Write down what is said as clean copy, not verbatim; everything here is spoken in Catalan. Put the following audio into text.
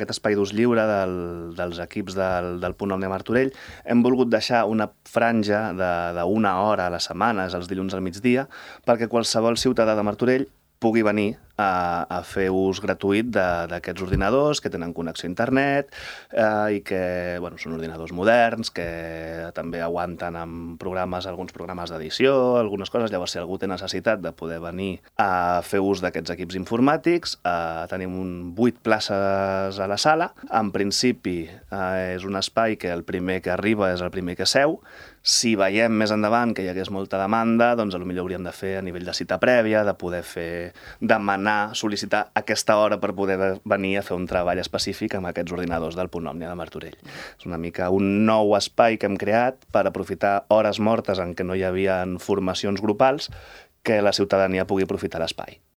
aquest espai d'ús lliure dels equips del Punt Òmnia Martorell, hem volgut deixar una franja d'una hora a la setmana, els dilluns al migdia, perquè qualsevol ciutadà de Martorell pugui venir a fer ús gratuït d'aquests ordinadors que tenen connexió a internet i que són ordinadors moderns, que també aguanten amb alguns programes d'edició, algunes coses. Llavors, si algú té necessitat de poder venir a fer ús d'aquests equips informàtics, tenim 8 places a la sala. En principi, és un espai que el primer que arriba és el primer que seu. Si veiem més endavant que hi hagués molta demanda, doncs potser hauríem de fer a nivell de cita prèvia, de poder sol·licitar aquesta hora per poder venir a fer un treball específic amb aquests ordinadors del Punt Òmnia de Martorell. És una mica un nou espai que hem creat per aprofitar hores mortes en què no hi havia formacions grupals, que la ciutadania pugui aprofitar l'espai.